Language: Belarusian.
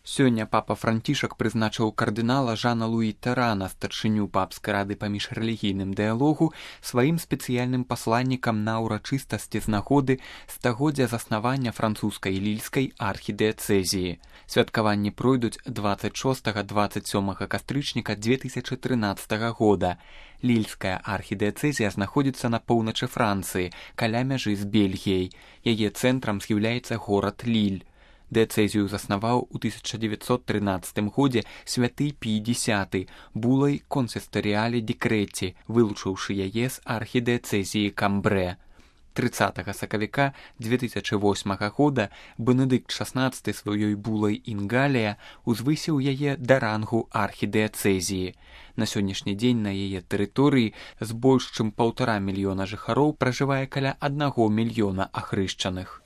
Сёння папа Францішак прызначыў кардынала Жана Луі Тэрана, старшыню папскай рады па міжрэлігійным дыялогу, сваім спецыяльным пасланнікам на ўрачыстасці з нагоды стагоддзя заснавання французскай лільскай архідыяцэзіі. Святкаванні пройдуць 26-27 кастрычніка 2013 года. Лільская архідыяцэзія знаходзіцца на поўначы Францыі, каля мяжы з Бельгіяй. Яе цэнтрам з'яўляецца горад Ліль. Дыяцэзію заснаваў у 1913 годзе святы Пій X булай консістаріялі дэкрэце, вылучыўшы яе з архідыяцэзіі Камбрэ. 30 сакавіка 2008 года Бенедыкт XVI сваёй булай Інгалія узвысіў яе да рангу архідыяцэзіі. На сённяшні дзень на яе тэрыторыі з больш чым 1,5 мільёна жыхароў пражывае каля 1 мільёна ахрышчаных.